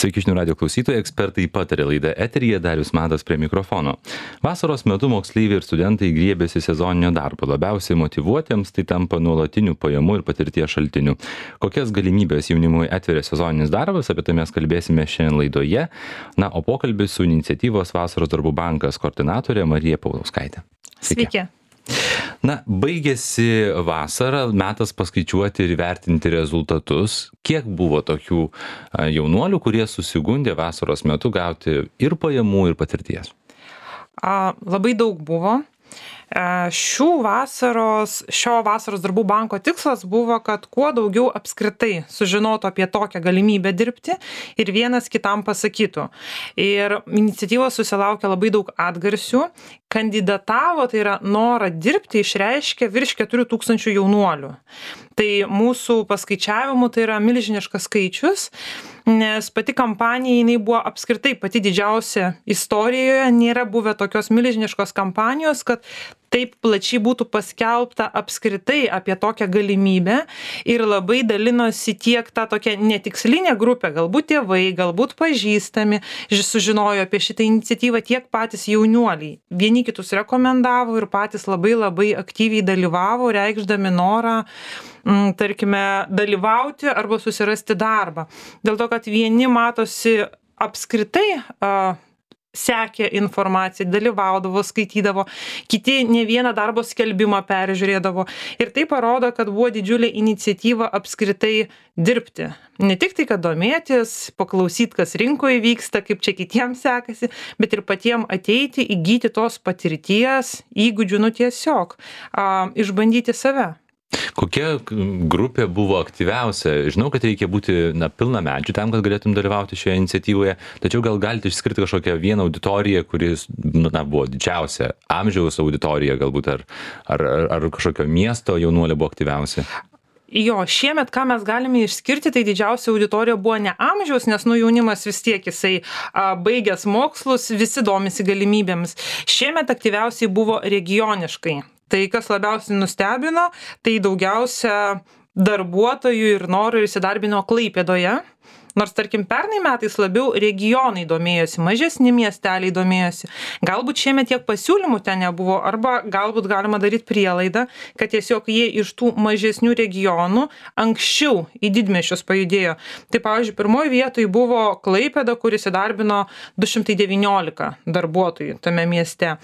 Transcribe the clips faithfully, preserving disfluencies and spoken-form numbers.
Sveiki žinių radio klausytojai, ekspertai patarė laida eteryje, Darius Matas prie mikrofono. Vasaros metu moksleiviai ir studentai griebėsi sezoninio darbo. Labiausiai motyvuotiems tai tampa nuolatinių pajamų ir patirties šaltinių. Kokias galimybės jaunimui atveria sezoninis darbas, apie tai mes kalbėsime šiandien laidoje. Na, o pokalbis su iniciatyvos Vasaros darbų bankas koordinatorė Marija Paulauskaitė. Sveiki. Sveiki. Na, baigėsi vasara, metas paskaičiuoti ir vertinti rezultatus. Kiek buvo tokių jaunuolių, kurie susigundė vasaros metu gauti ir pajamų, ir patirties? A, labai daug buvo. Šių vasaros, šio vasaros darbų banko tikslas buvo, kad kuo daugiau apskritai sužinotų apie tokią galimybę dirbti ir vienas kitam pasakytų. Ir iniciatyvos susilaukė labai daug atgarsių. Kandidatavo, tai yra norą dirbti, išreiškė virš keturių tūkstančių jaunuolių. Tai mūsų paskaičiavimu tai yra milžiniškas skaičius, nes pati kampanija jinai buvo apskritai pati didžiausia istorijoje, nėra buvę tokios milžiniškos kampanijos, kad taip plačiai būtų paskelbta apskritai apie tokią galimybę ir labai dalinosi tiek tą tokią netikslinę grupę, galbūt tėvai, galbūt pažįstami, sužinojo apie šitą iniciatyvą, tiek patys jaunuoliai. Vieni kitus rekomendavo ir patys labai labai aktyviai dalyvavo, reikšdami norą, m, tarkime, dalyvauti arba susirasti darbą. Dėl to, kad vieni matosi apskritai a, sekė informaciją, dalyvaudavo, skaitydavo, kiti ne vieną darbo skelbimą peržiūrėdavo. Ir tai parodo, kad buvo didžiulė iniciatyva apskritai dirbti. Ne tik tai, kad domėtis, paklausyti, kas rinkoje vyksta, kaip čia kitiems sekasi, bet ir patiems ateiti, įgyti tos patirties, įgūdžių, nu tiesiog a, išbandyti save. Kokia grupė buvo aktyviausia? Žinau, kad reikia būti na, pilnamečių tam, kad galėtum dalyvauti šioje iniciatyvoje, tačiau gal galite išskirti kažkokią vieną auditoriją, kuris na, buvo didžiausia amžiaus auditorija galbūt, ar, ar, ar kažkokio miesto jaunuolė buvo aktyviausia? Jo, šiemet, ką mes galime išskirti, tai didžiausia auditorija buvo ne amžiaus, nes nu jaunimas vis tiek jisai a, baigęs mokslus, visi domisi galimybėmis. Šiemet aktyviausiai buvo regioniškai. Tai kas labiausiai nustebino, tai daugiausia darbuotojų ir norų ir įsidarbino Klaipėdoje. Nors, tarkim, pernai metais labiau regionai domėjosi, mažesni miesteliai domėjosi. Galbūt šiemet tiek pasiūlymų ten nebuvo, arba galbūt galima daryti prielaidą, kad tiesiog jie iš tų mažesnių regionų anksčiau į didmiesčius pajudėjo. Tai, pavyzdžiui, pirmoje vietoje buvo Klaipėda, kuris įdarbino du šimtai devyniolika darbuotojų tame mieste.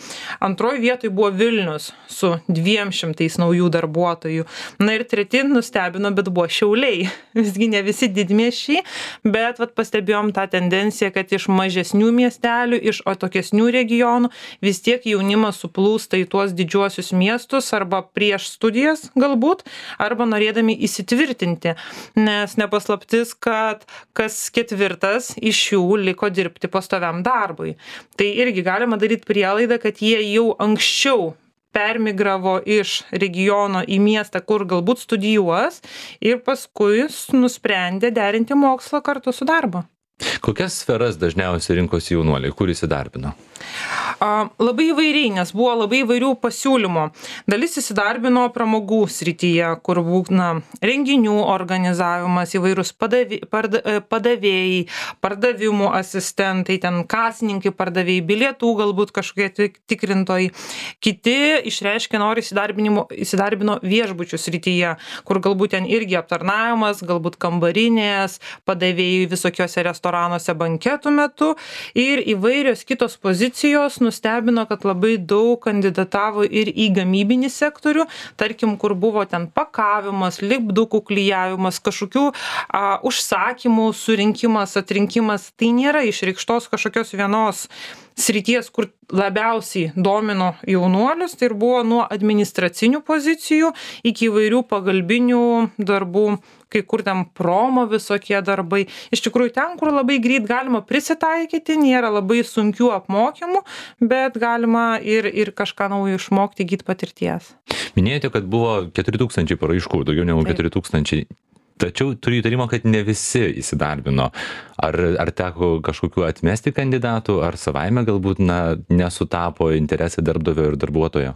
Antroje vietoje buvo Vilnius su dviem šimtais naujų darbuotojų. Na ir treti nustebino, bet buvo Šiauliai. Visgi ne visi didmiesčiai. Bet vat, pastebėjom tą tendenciją, kad iš mažesnių miestelių, iš atokesnių regionų vis tiek jaunimas suplūsta į tuos didžiuosius miestus arba prieš studijas galbūt, arba norėdami įsitvirtinti, nes nepaslaptis, kad kas ketvirtas iš jų liko dirbti pastoviam darbui. Tai irgi galima daryti prielaidą, kad jie jau anksčiau permigravo iš regiono į miestą, kur galbūt studijuos ir paskui nusprendė derinti mokslą kartu su darbu. Kokias sferas dažniausiai rinkosi jaunuoliai, kur įsidarbino? A, labai įvairiai, nes buvo labai įvairių pasiūlymų. Dalis įsidarbino pramogų srityje, kur būna renginių organizavimas, įvairūs padavė, parda, padavėjai, pardavimų asistentai, ten kasininkai, pardavėjai, bilietų galbūt kažkokie tikrintojai. Kiti išreiškė nori įsidarbino viešbučių srityje, kur galbūt ten irgi aptarnavimas, galbūt kambarinės, padavėjai visokiose restoranuose banketų metu ir įvairios kitos pozicijos nustebino, kad labai daug kandidatavo ir į gamybinį sektorių, tarkim, kur buvo ten pakavimas, lipdukų klijavimas, kažkokių a, užsakymų surinkimas, atrinkimas. Tai nėra išreikštos kažkokios vienos srities, kur labiausiai domino jaunuolius, tai ir buvo nuo administracinių pozicijų iki įvairių pagalbinių darbų, kai kur ten promo visokie darbai. Iš tikrųjų, ten, kur labai greit galima prisitaikyti, nėra labai sunkių apmokymų, bet galima ir, ir kažką naujo išmokti, įgyti patirties. Minėjote, kad buvo keturi tūkstančiai paraiškų, daugiau negu keturi tūkstančiai. Tačiau turiu įtarimą, kad ne visi įsidarbino. Ar, ar teko kažkokiu atmesti kandidatų, ar savaime galbūt na, nesutapo interesai darbdavio ir darbuotojo?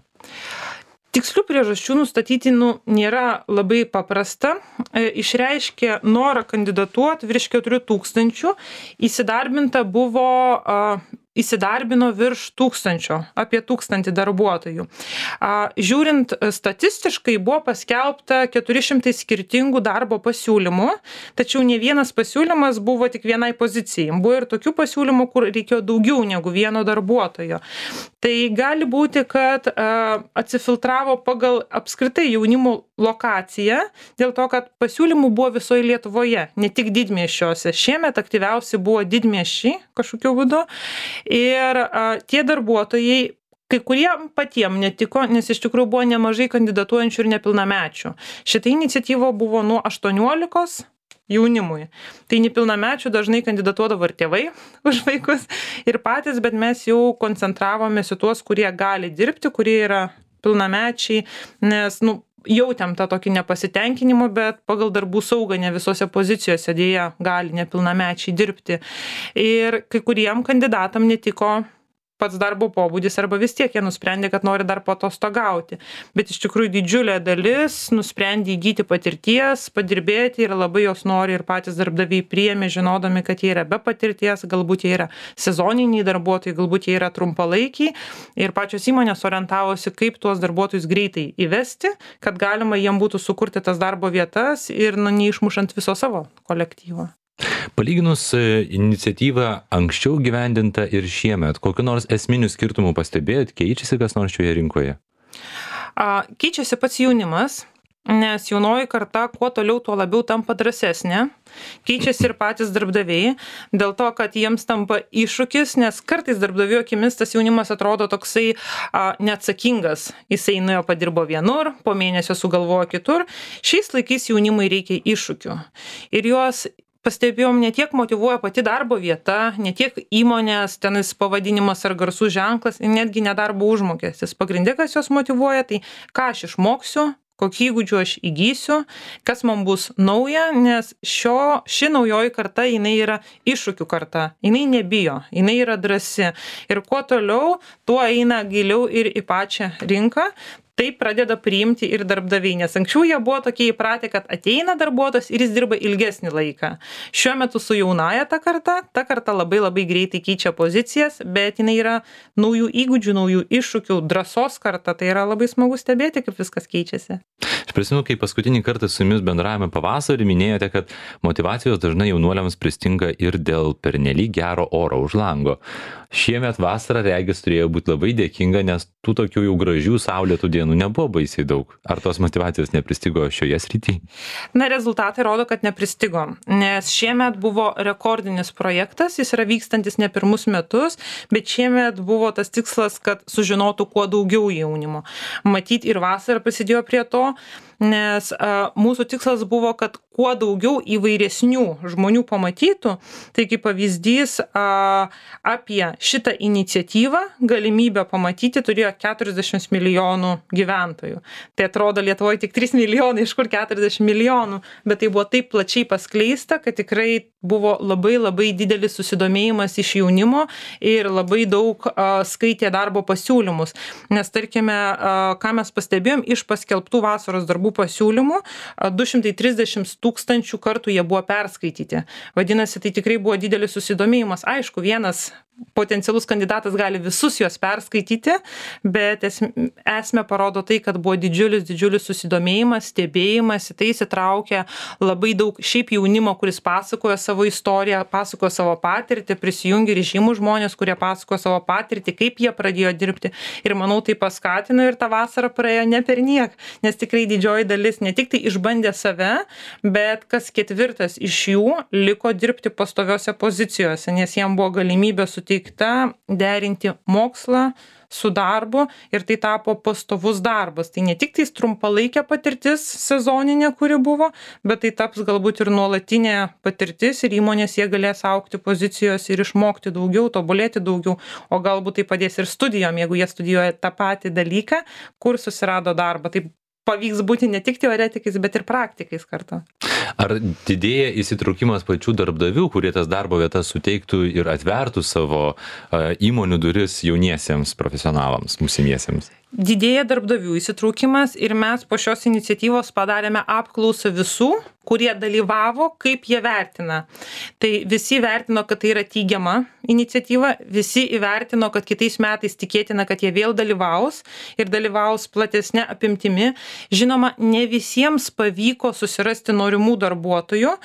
Tikslių priežasčių nustatyti nu, nėra labai paprasta. E, išreiškė norą kandidatuoti virš keturių tūkstančių, įsidarbinta buvo, a, įsidarbino virš tūkstančio, apie tūkstantį darbuotojų. A, žiūrint statistiškai buvo paskelbta keturi šimtai skirtingų darbo pasiūlymų, tačiau ne vienas pasiūlymas buvo tik vienai pozicijai. Buvo ir tokių pasiūlymų, kur reikėjo daugiau negu vieno darbuotojo. Tai gali būti, kad a, atsifiltravo pagal apskritai jaunimo lokaciją, dėl to, kad pasiūlymų buvo visoje Lietuvoje, ne tik didmiesčiuose. Šiemet aktyviausi buvo didmiesčiai kažkokiu būdu. Ir a, tie darbuotojai, kai kurie patiem netiko, nes iš tikrųjų buvo nemažai kandidatuojančių ir nepilnamečių. Šita iniciatyva buvo nuo aštuoniolikos jaunimui. Tai nepilnamečių dažnai kandidatuodavo ir tėvai už vaikus ir patys, bet mes jau koncentravomės į tuos, kurie gali dirbti, kurie yra pilnamečiai, nes, nu, jautėm tą tokį nepasitenkinimą, bet pagal darbų saugą ne visose pozicijose dėja gali nepilnamečiai dirbti. Ir kai kuriem kandidatam netiko pats darbo pobūdis arba vis tiek jie nusprendė, kad nori dar paatostogauti. Bet iš tikrųjų didžiulė dalis nusprendė įgyti patirties, padirbėti ir labai jos nori ir patys darbdaviai priėmė, žinodami, kad jie yra be patirties, galbūt jie yra sezoniniai darbuotojai, galbūt jie yra trumpalaikiai ir pačios įmonės orientavosi, kaip tuos darbuotojus greitai įvesti, kad galima jiem būtų sukurti tas darbo vietas ir nu, neišmušant viso savo kolektyvo. Palyginus iniciatyvą anksčiau gyvendinta ir šiemet, kokiu nors esminių skirtumų pastebėjot, keičiasi kas nors šioje rinkoje? A, keičiasi pats jaunimas, nes jaunoji karta kuo toliau, tuo labiau tampa drąsesnė. Keičiasi ir patys darbdaviai, dėl to, kad jiems tampa iššūkis, nes kartais darbdavio akimis tas jaunimas atrodo toksai a, neatsakingas. Jisai nuėjo padirbo vienur, po mėnesio sugalvojo kitur. Šiais laikais jaunimui reikia iššūkių. Ir juos pastebėjom, ne tiek motyvuoja pati darbo vieta, ne tiek įmonės, tenis pavadinimas ar garsų ženklas, netgi nedarbo užmokestis. Pagrindė, kas jos motyvuoja, tai ką aš išmoksiu, kokį įgūdžių aš įgysiu, kas man bus nauja, nes šio, ši naujoji karta, jinai yra iššūkių karta, jinai nebijo, jinai yra drąsi. Ir kuo toliau, tuo eina giliau ir į pačią rinką. Tai pradeda priimti ir darbdaviai, nes anksčiau jie buvo tokie įpratę, kad ateina darbuotojas ir jis dirba ilgesnį laiką. Šiuo metu su jaunaja ta karta, ta karta labai labai greitai keičia pozicijas, bet jinai yra naujų įgūdžių, naujų iššūkių, drąsos karta, tai yra labai smagu stebėti, kaip viskas keičiasi. Aš prisimenu, kai paskutinį kartą su jumis bendravome pavasarį, minėjote, kad motyvacijos dažnai jaunuoliams pristinga ir dėl pernelyg gero oro už lango. Šiemet vasara, regis, turėjo būti labai dėkinga, nes tų tokių jau gražių saulėtų dienų nebuvo baisiai daug. Ar tos motyvacijos nepristigo šioje srityje? Na, rezultatai rodo, kad nepristigo, nes šiemet buvo rekordinis projektas, jis yra vykstantis ne pirmus metus, bet šiemet buvo tas tikslas, kad sužinotų kuo daugiau jaunimo. Matyt, ir vasara prisidėjo prie to, nes a, mūsų tikslas buvo, kad kuo daugiau įvairesnių žmonių pamatytų. Tai kaip pavyzdys, a, apie šitą iniciatyvą galimybę pamatyti turėjo keturiasdešimt milijonų gyventojų. Tai atrodo Lietuvoje tik trys milijonai, iš kur keturiasdešimt milijonų, bet tai buvo taip plačiai paskleista, kad tikrai buvo labai labai didelis susidomėjimas iš jaunimo ir labai daug a, skaitė darbo pasiūlymus. Nes tarkime, a, ką mes pastebėjom iš paskelbtų vasaros darbų pasiūlymų, du šimtai trisdešimt tūkstančių kartų jie buvo perskaityti. Vadinasi, tai tikrai buvo didelis susidomėjimas. Aišku, vienas potencialus kandidatas gali visus juos perskaityti, bet esmė parodo tai, kad buvo didžiulis, didžiulis susidomėjimas, stebėjimas, į tai įsitraukė labai daug šiaip jaunimo, kuris pasakojo savo istoriją, pasakojo savo patirtį, prisijungė ir žymų žmonės, kurie pasakojo savo patirtį, kaip jie pradėjo dirbti. Ir manau, tai paskatino ir ta vasara praėjo ne per niek, nes tikrai didžioji dalis ne tik tai išbandė save, bet kas ketvirtas iš jų liko dirbti pastoviose pozicijose, nes jiem buvo galimybė suteikta derinti mokslą su darbu ir tai tapo pastovus darbas. Tai ne tik tais trumpalaikė patirtis sezoninė, kuri buvo, bet tai taps galbūt ir nuolatinė patirtis ir įmonės jie galės augti pozicijos ir išmokti daugiau, tobulėti daugiau, o galbūt tai padės ir studijom, jeigu jie studijuoja tą patį dalyką, kur susirado darbą. Tai pavyks būti ne tik teoretikais, bet ir praktikais kartu. Ar didėja įsitraukimas pačių darbdavių, kurie tas darbo vietas suteiktų ir atvertų savo uh, įmonių duris jauniesiems profesionalams, būsimiesiems? didėja darbdavių įsitraukimas ir mes po šios iniciatyvos padarėme apklausą visų, kurie dalyvavo, kaip jie vertina. Tai visi vertino, kad tai yra teigiama iniciatyva, visi įvertino, kad kitais metais tikėtina, kad jie vėl dalyvaus ir dalyvaus platesnė apimtimi. Žinoma, ne visiems pavyko susirasti norimų darbuotojų,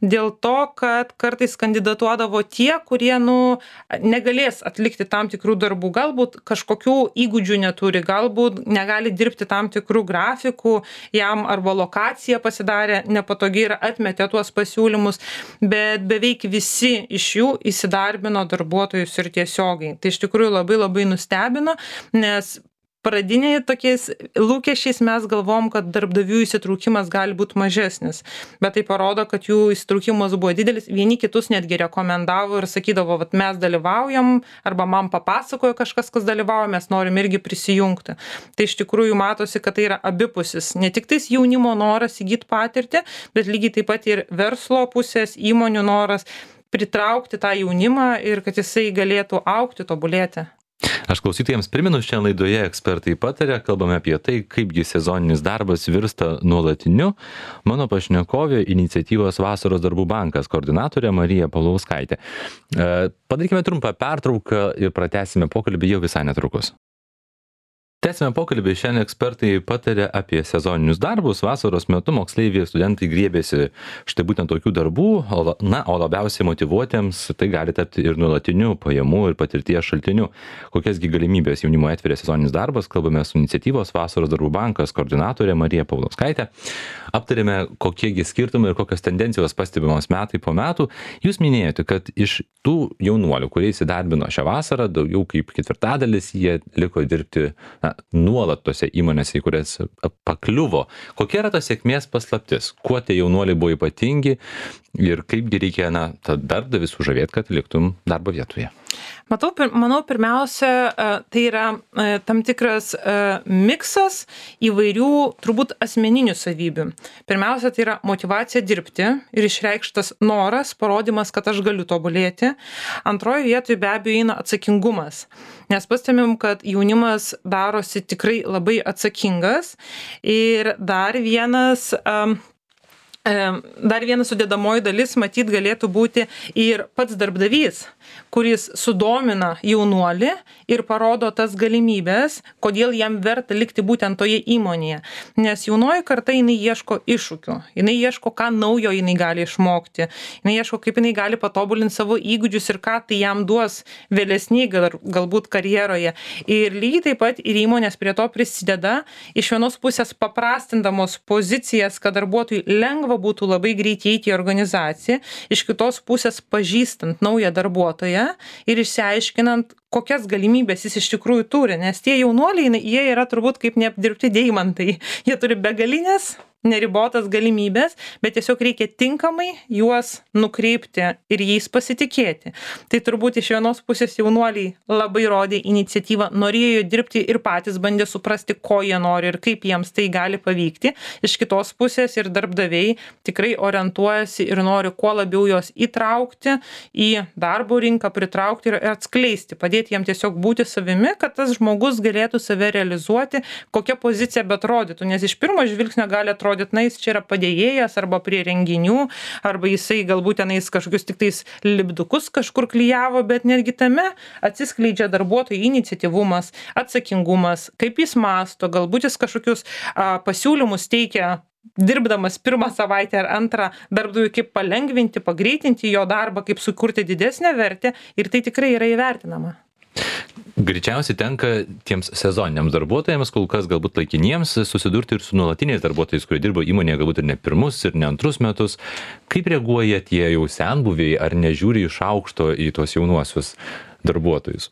dėl to, kad kartais kandidatuodavo tie, kurie nu, negalės atlikti tam tikrų darbų, galbūt kažkokių įgūdžių neturi, galbūt negali dirbti tam tikrų grafikų, jam arba lokacija pasidarė nepatogi ir atmetė tuos pasiūlymus, bet beveik visi iš jų įsidarbino darbuotojus ir tiesiogiai. Tai iš tikrųjų labai labai nustebino, nes pradiniai tokiais lūkesčiais mes galvom, kad darbdavių įsitraukimas gali būti mažesnis, bet tai parodo, kad jų įsitraukimas buvo didelis, vieni kitus netgi rekomendavo ir sakydavo, vat mes dalyvaujam, arba man papasakojo kažkas, kas dalyvauja, mes norim irgi prisijungti. Tai iš tikrųjų matosi, kad tai yra abipusis, ne tik tais jaunimo noras įgyti patirtį, bet lygiai taip pat ir verslo pusės, įmonių noras pritraukti tą jaunimą ir kad jisai galėtų augti, tobulėti. Aš klausytojams primenu, šiandien laidoje ekspertai pataria, kalbame apie tai, kaipgi sezoninis darbas virsta nuolatiniu. Mano pašnekovė iniciatyvos Vasaros darbų bankas koordinatorė Marija Paulauskaitė. Padarykime trumpą pertrauką ir pratęsime pokalbį jau visai netrukus. Tęsime pokalbį, šiandien ekspertai pataria apie sezoninius darbus. Vasaros metu moksleiviai ir studentai griebėsi štai būtent tokių darbų, o, na, o labiausiai motyvuotiems tai gali tapti ir nuolatiniu pajamų ir patirties šaltiniu. Kokiasgi galimybės jaunimo atveria sezoninis darbas, kalbame su iniciatyvos Vasaros darbų bankas koordinatorė Marija Paulauskaitė. Aptarėme, kokiegi skirtumai ir kokios tendencijos pastebimos metai po metų. Jūs minėjote, kad iš tų jaunuolių, kurie įsidarbino šią vasarą, daugiau kaip ketvirtadalis jie liko dirbti na, nuolat tose įmonėse, į kurias pakliuvo. Kokia yra ta sėkmės paslaptis? Kuo tie jaunuoliai buvo ypatingi ir kaipgi reikia, na, tą darbdavį sužavėti, kad liktum darbo vietoje? Matau, manau, pirmiausia, tai yra tam tikras miksas įvairių, turbūt, asmeninių savybių. Pirmiausia, tai yra motyvacija dirbti ir išreikštas noras, parodymas, kad aš galiu tobulėti. Antroje vietoje be abejo eina atsakingumas. Nes pastebim, kad jaunimas darosi tikrai labai atsakingas. Ir dar vienas... Um, Dar viena sudėdamoji dalis, matyt, galėtų būti ir pats darbdavys, kuris sudomina jaunuolį ir parodo tas galimybės, kodėl jam verta likti būtent toje įmonėje. Nes jaunoji karta, jinai ieško iššūkių, jinai ieško, ką naujo jinai gali išmokti, jinai ieško, kaip jinai gali patobulinti savo įgūdžius ir ką tai jam duos vėlesnį gal, galbūt karjeroje. Ir lygiai taip pat ir įmonės prie to prisideda, iš vienos pusės paprastindamos pozicijas, kad darbuotojui lengva būtų labai greitai įeiti į organizaciją, iš kitos pusės pažįstant naują darbuotoją ir išsiaiškinant, kokias galimybės jis iš tikrųjų turi, nes tie jaunuoliai, jie yra turbūt kaip neapdirbti deimantai, jie turi begalinės, neribotas galimybės, bet tiesiog reikia tinkamai juos nukreipti ir jais pasitikėti. Tai turbūt iš vienos pusės jaunuoliai labai rodė iniciatyvą, norėjo dirbti ir patys bandė suprasti, ko jie nori ir kaip jiems tai gali pavykti. Iš kitos pusės ir darbdaviai tikrai orientuojasi ir nori kuo labiau juos įtraukti į darbo rinką, pritraukti ir atskleisti, padėti jiem tiesiog būti savimi, kad tas žmogus galėtų save realizuoti, kokia pozicija betrodytų, nes iš pirmo žvilgsnio gali atrodyti, na, jis čia yra padėjėjas arba prie renginių, arba jisai galbūt tenais kažkokius tik tais lipdukus kažkur klijavo, bet netgi tame atsiskleidžia darbuotojų iniciatyvumas, atsakingumas, kaip jis masto, galbūt jis kažkokius a, pasiūlymus teikia dirbdamas pirmą savaitę ar antrą darbdaviui, kaip palengvinti, pagreitinti jo darbą, kaip sukurti didesnę vertę ir tai tikrai yra įvertinama. Greičiausiai tenka tiems sezoniniams darbuotojams, kol kas galbūt laikiniems, susidurti ir su nuolatiniais darbuotojais, kurie dirbo įmonėje galbūt ir ne pirmus ir ne antrus metus. Kaip reaguoja tie jau senbuviai, ar nežiūri iš aukšto į tuos jaunuosius darbuotojus?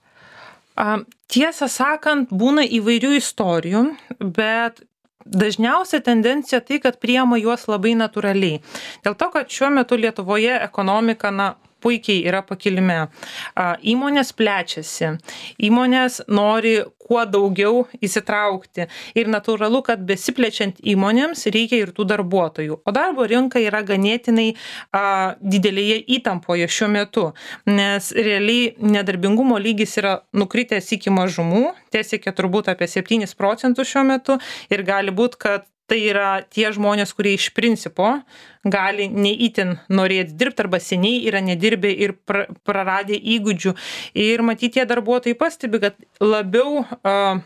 A, tiesą sakant, būna įvairių istorijų, bet dažniausia tendencija tai, kad priima juos labai natūraliai. Dėl to, kad šiuo metu Lietuvoje ekonomika, na, puikiai yra pakilime. Įmonės plečiasi, įmonės nori kuo daugiau įsitraukti ir natūralu, kad besiplečiant įmonėms reikia ir tų darbuotojų. O darbo rinka yra ganėtinai a, didelėje įtampoje šiuo metu, nes realiai nedarbingumo lygis yra nukritęs iki mažumų, tiesiog turbūt apie septynis procentus šiuo metu ir gali būti, kad tai yra tie žmonės, kurie iš principo gali neįtin norėti dirbti arba seniai yra nedirbę ir pra, praradę įgūdžių. Ir matyti, tie darbuotojai pastebi, kad labiau uh,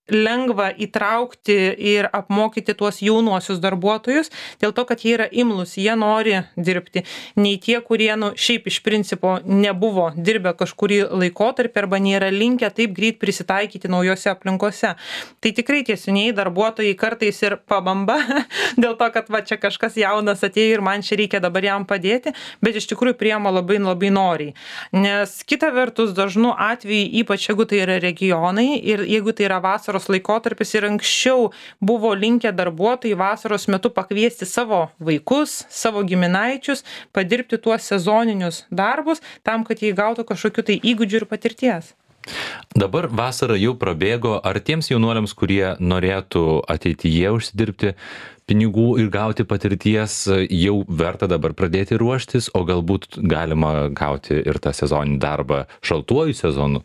lengva įtraukti ir apmokyti tuos jaunuosius darbuotojus, dėl to, kad jie yra imlus, jie nori dirbti, nei tie, kurie nu, šiaip iš principo nebuvo dirbę kažkurį laikotarpį arba nėra linkę taip greit prisitaikyti naujose aplinkose. Tai tikrai tie senieji darbuotojai kartais ir pabamba dėl to, kad va čia kažkas jaunas atėjo ir man čia reikia dabar jam padėti, bet iš tikrųjų priema labai labai noriai. Nes kita vertus dažnu atveju, ypač jeigu tai yra regionai ir jeigu tai yra vasaros laikotarpis ir anksčiau buvo linkę darbuotojai vasaros metu pakviesti savo vaikus, savo giminaičius, padirbti tuos sezoninius darbus, tam, kad jie gautų kažkokių tai įgūdžių ir patirties. Dabar vasara jau prabėgo, ar tiems jaunuoliams, kurie norėtų ateityje užsidirbti pinigų ir gauti patirties, jau verta dabar pradėti ruoštis, o galbūt galima gauti ir tą sezoninį darbą šaltuoju sezonu?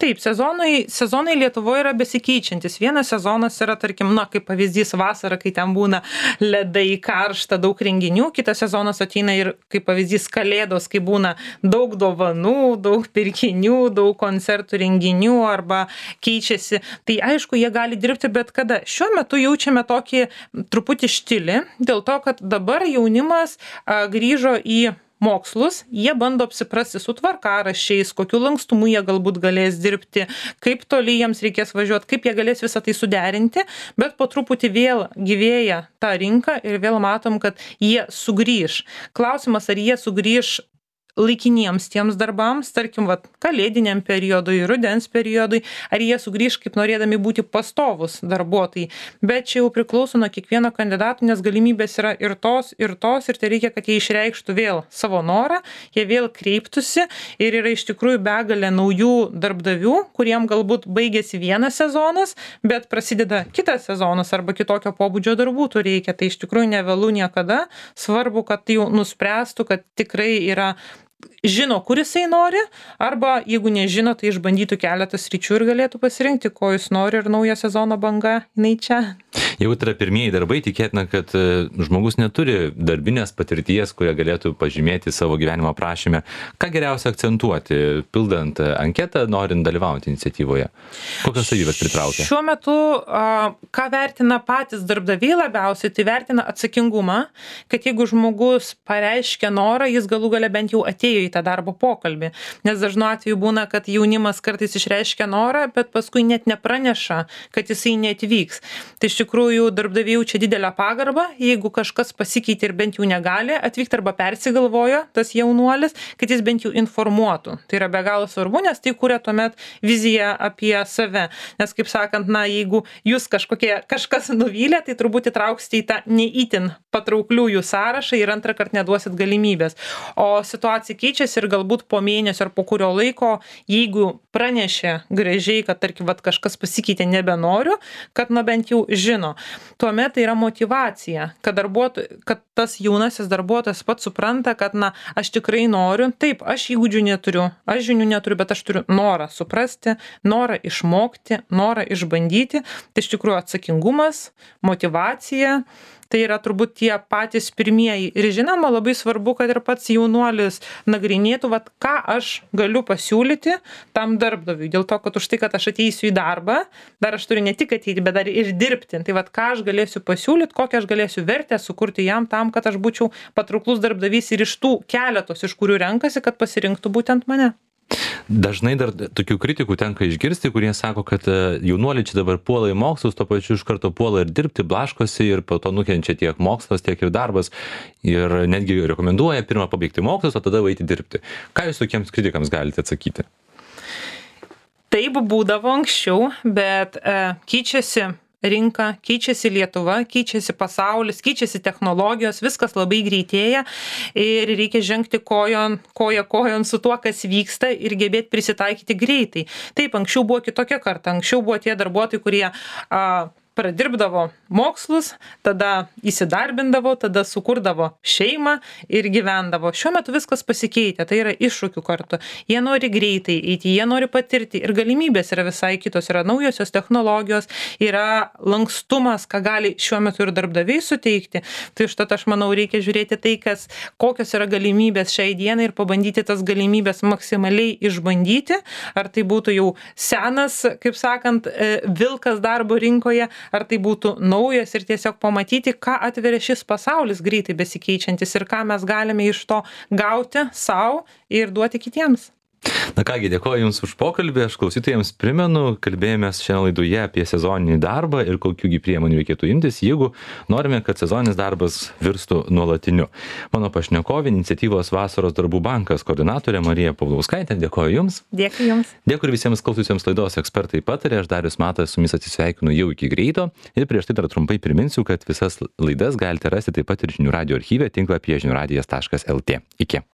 Taip, sezonai, sezonai Lietuvoje yra besikeičiantis. Vienas sezonas yra, tarkim, na, kaip pavyzdys vasara, kai ten būna ledai, karšta, daug renginių. Kitas sezonas ateina ir, kaip pavyzdys, kalėdos, kai būna daug dovanų, daug pirkinių, daug koncertų renginių arba keičiasi. Tai aišku, jie gali dirbti bet kada. Šiuo metu jaučiame tokį truputį štilį, dėl to, kad dabar jaunimas a, grįžo į mokslus, jie bando apsiprasti su tvarkaraščiais, kokiu lankstumu jie galbūt galės dirbti, kaip toli jiems reikės važiuoti, kaip jie galės visą tai suderinti, bet po truputį vėl gyvėja ta rinka ir vėl matom, kad jie sugrįž. Klausimas, ar jie sugrįž laikiniems tiems darbams, tarkim, vat, kalėdiniam periodui, rudens periodui, ar jie sugrįž kaip norėdami būti pastovus darbuotojai. Bet čia jau priklauso nuo kiekvieno kandidato, nes galimybės yra ir tos, ir tos, ir tai reikia, kad jie išreikštų vėl savo norą, jie vėl kreiptųsi ir yra iš tikrųjų begalė naujų darbdavių, kuriem galbūt baigėsi vienas sezonas, bet prasideda kitas sezonas arba kitokio pobūdžio darbų tu reikia. Tai iš tikrųjų nevėlu niekada, svarbu, kad jau nuspręstų, kad tikrai yra žino, kur jisai nori, arba jeigu nežino, tai išbandytų keletą sričių ir galėtų pasirinkti, ko jis nori ir naujo sezono banga, jinai čia. Jau tai yra pirmieji darbai, tikėtina, kad žmogus neturi darbinės patirties, kurią galėtų pažymėti savo gyvenimo aprašyme. Ką geriausia akcentuoti, pildant anketą, norint dalyvauti iniciatyvoje? Kokios savybės pritraukia? Šiuo metu, ką vertina patys darbdaviai labiausiai, tai vertina atsakingumą, kad jeigu žmogus pareiškia norą, jis galų gale bent jau atėjo į tą darbo pokalbį. Nes dažnu atveju būna, kad jaunimas kartais išreiškia norą, bet paskui net nepraneša, kad jisai neatvyks. Tai iš tikrųjų darbdaviai jaučia didelę pagarbą, jeigu kažkas pasikeitė ir bent jau negali atvykti arba persigalvojo tas jaunuolis, kad jis bent jau informuotų. Tai yra be galo svarbu, nes tai kuria tuomet viziją apie save. Nes kaip sakant, na, jeigu jūs kažkokie, kažkas nuvylė, tai turbūt įtrauksite į tą neįtin patraukliųjų sąrašą ir antrą kartą neduosit galimybės. O situacija keičiasi ir galbūt po mėnesio ar po kurio laiko, jeigu pranešė gražiai, kad tarkim, vat, kažkas pasikeitė nebenoriu, kad na bent jau žino. Tuomet tai yra motyvacija, kad, kad tas jaunasis darbuotojas pats supranta, kad na, aš tikrai noriu, taip, aš įgūdžių neturiu, aš žinių neturiu, bet aš turiu norą suprasti, norą išmokti, norą išbandyti. Tai iš tikrųjų atsakingumas, motyvacija. Tai yra turbūt tie patys pirmieji. Ir žinoma, labai svarbu, kad ir pats jaunuolis nagrinėtų, vat, ką aš galiu pasiūlyti tam darbdaviui. Dėl to, kad už tai, kad aš ateisiu į darbą, dar aš turiu ne tik ateiti, bet dar ir dirbti. Tai vat, ką aš galėsiu pasiūlyti, kokią aš galėsiu vertę sukurti jam tam, kad aš būčiau patrauklus darbdavys ir iš tų keletos, iš kurių renkasi, kad pasirinktų būtent mane. Dažnai dar tokių kritikų tenka išgirsti, kurie sako, kad jaunuoliai čia dabar puola į mokslus, to pačiu iš karto puola ir dirbti, blaškosi ir po to nukenčia tiek mokslas, tiek ir darbas ir netgi rekomenduoja pirmą pabaigti mokslus, o tada eiti dirbti. Ką jūs tokiems kritikams galite atsakyti? Taip būdavo anksčiau, bet e, keičiasi rinka, keičiasi Lietuva, keičiasi pasaulis, keičiasi technologijos, viskas labai greitėja ir reikia žengti kojon, koja kojon su tuo, kas vyksta ir gebėti prisitaikyti greitai. Taip, anksčiau buvo kitokia karta, anksčiau buvo tie darbuotojai, kurie a, pradirbdavo mokslus, tada įsidarbindavo, tada sukurdavo šeimą ir gyvendavo. Šiuo metu viskas pasikeitė, tai yra iššūkių kartu. Jie nori greitai eiti, jie nori patirti ir galimybės yra visai kitos, yra naujosios technologijos, yra lankstumas, ką gali šiuo metu ir darbdaviai suteikti. Tai užtat aš manau, reikia žiūrėti tai, kas, kokios yra galimybės šiai dienai ir pabandyti tas galimybės maksimaliai išbandyti, ar tai būtų jau senas, kaip sakant, vilkas darbo rinkoje, ar tai būtų naujas ir tiesiog pamatyti, ką atveria šis pasaulis greitai besikeičiantis ir ką mes galime iš to gauti savo ir duoti kitiems. Na kągi, dėkoju Jums už pokalbį, aš klausytojams primenu, kalbėjomės šiandien laidoje apie sezoninį darbą ir kokiųgi priemonių reikėtų imtis, jeigu norime, kad sezoninis darbas virstų nuolatiniu. Mano pašnekovė, iniciatyvos Vasaros darbų bankas koordinatorė Marija Paulauskaitė, dėkoju Jums. Dėkui Jums. Dėkui ir visiems klausytojams laidos Ekspertai patarė, aš Darius Matas su Jumis atsisveikinu jau iki greito ir prieš tai dar trumpai priminsiu, kad visas laidas galite rasti taip pat ir žinių radijo archyve tinklapyje žinių radijas taškas lt. Iki.